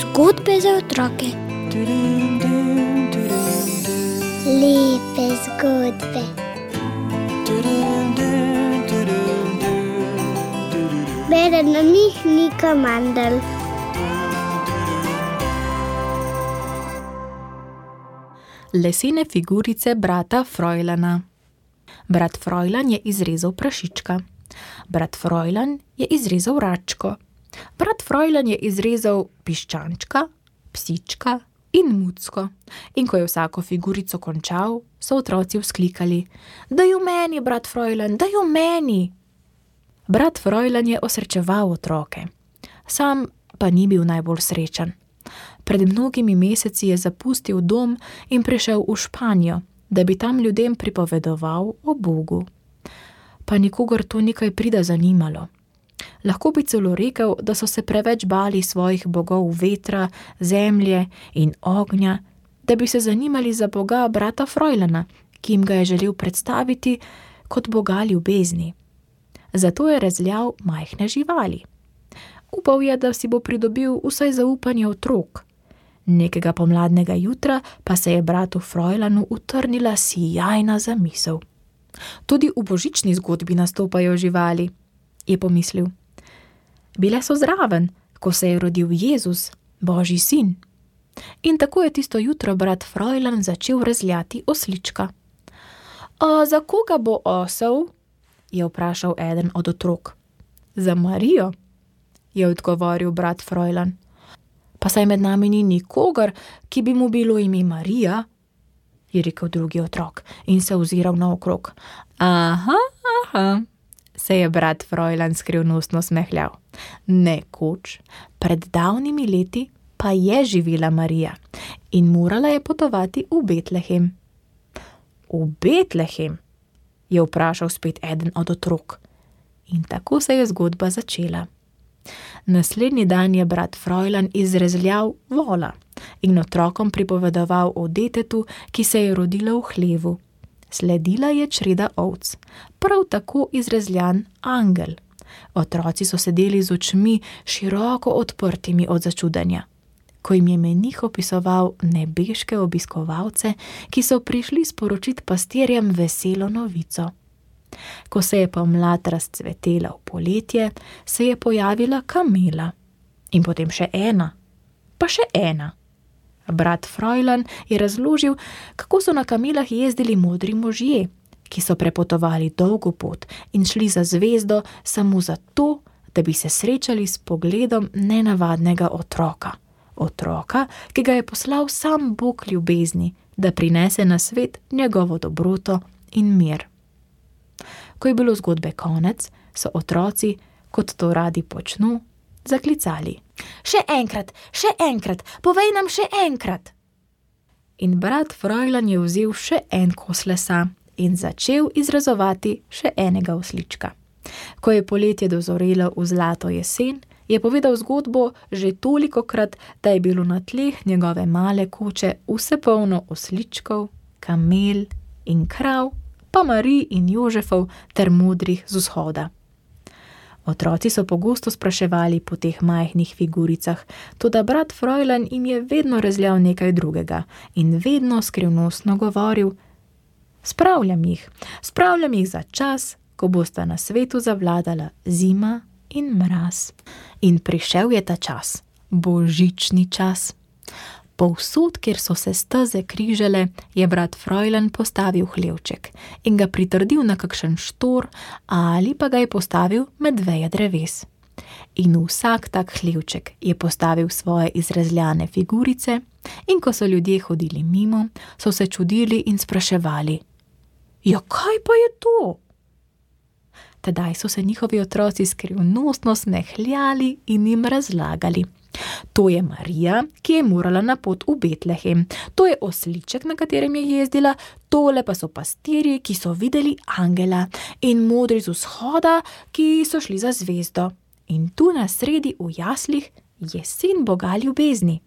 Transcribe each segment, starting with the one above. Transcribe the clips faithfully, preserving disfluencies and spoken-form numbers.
Zgodbe za otroke. Lepe zgodbe. Bere na njih Nika Mandl. Lesene figurice brata Frojlana. Brat Frojlan je izrezal prašička. Brat Frojlan je izrezal račko. Brat Frojlan je izrezal piščančka, psička in mucko. In ko je vsako figurico končal, so otroci vzklikali: "Daj jo meni, brat Frojlan, daj jo meni!" Brat Frojlan je osrečeval otroke. Sam pa ni bil najbolj srečen. Pred mnogimi meseci je zapustil dom in prišel v Španijo, da bi tam ljudem pripovedoval o Bogu. Pa nikogar to nekaj prida zanimalo. Lahko bi celo rekel, da so se preveč bali svojih bogov vetra, zemlje in ognja, da bi se zanimali za Boga brata Frojlana, ki jim ga je želel predstaviti kot Boga ljubezni. Zato je rezljal majhne živali. Upal je, da si bo pridobil vsaj zaupanje otrok. Nekega pomladnega jutra pa se je bratu Frojlanu utrnila sijajna zamisel. Tudi v božični zgodbi nastopajo živali, je pomislil. Bile so zraven, ko se je rodil Jezus, Božji sin. In tako je tisto jutro brat Frojlan začel rezljati oslička. "A za koga bo osel?" je vprašal eden od otrok. "Za Marijo," je odgovoril brat Frojlan. "Pa saj med nami ni nikogar, ki bi mu bilo ime Marija," je rekel drugi otrok in se oziral naokrog. Aha, aha, se je brat Frojlan skrivnostno smehljal. Nekoč, pred davnimi leti, pa je živela Marija in morala je potovati v Betlehem. V Betlehem, je vprašal spet eden od otrok. In tako se je zgodba začela. Naslednji dan je brat Frojlan izrezljal vola in otrokom pripovedoval o detetu, ki se je rodilo v hlevu. Sledila je čreda ovc, prav tako izrezljan angel. Otroci so sedeli z očmi široko odprtimi od začudenja, ko jim je menih opisoval nebeške obiskovalce, ki so prišli sporočiti pastirjem veselo novico. Ko se je pomlad razcvetela v poletje, se je pojavila kamela. In potem še ena, pa še ena. Brat Frojlan je razložil, kako so na kamelah jezdili modri možje, ki so prepotovali dolgo pot in šli za zvezdo samo zato, da bi se srečali s pogledom nenavadnega otroka. Otroka, ki ga je poslal sam Bog ljubezni, da prinese na svet njegovo dobroto in mir. Ko je bilo zgodbe konec, so otroci, kot to radi počnu, zaklicali: "Še enkrat, še enkrat, povej nam še enkrat!" In brat Frojlan je vzel še en kos lesa in začel izrezovati še enega oslička. Ko je poletje dozorelo v zlato jesen, je povedal zgodbo že tolikokrat, da je bilo na tleh njegove male koče vse polno osličkov, kamel in krav, pa Marij in Jožefov ter modrih z vzhoda. Otroci so pogosto spraševali po teh majhnih figuricah, toda brat Frojlan jim je vedno rezljal nekaj drugega in vedno skrivnostno govoril: "Spravljam jih, spravljam jih za čas, ko bosta na svetu zavladala zima in mraz." In prišel je ta čas, božični čas. Povsod, kjer so se steze križale, je brat Frojlan postavil hlevček in ga pritrdil na kakšen štor ali pa ga je postavil med veje dreves. In vsak tak hlevček je postavil svoje izrezljane figurice in ko so ljudje hodili mimo, so se čudili in spraševali: "Ja, kaj pa je to?" Tedaj so se njihovi otroci skrivnostno smehljali in jim razlagali: "To je Marija, ki je morala na pot v Betlehem. To je osliček, na katerem je jezdila. Tole pa so pastirji, ki so videli angela. In modri z vzhoda, ki so šli za zvezdo. In tu na sredi v jaslih je sin Boga ljubezni."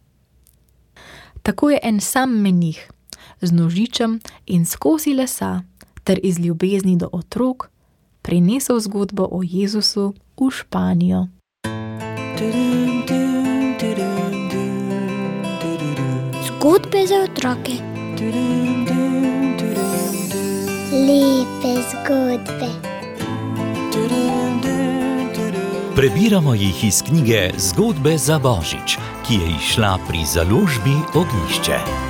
Tako je en sam menih z nožičem in s kosi lesa ter iz ljubezni do otrok prinesel zgodbo o Jezusu v Španijo. Zgodbe za otroke. Lepe zgodbe. Prebiramo jih iz knjige Zgodbe za Božič, ki je izšla pri založbi Ognjišče.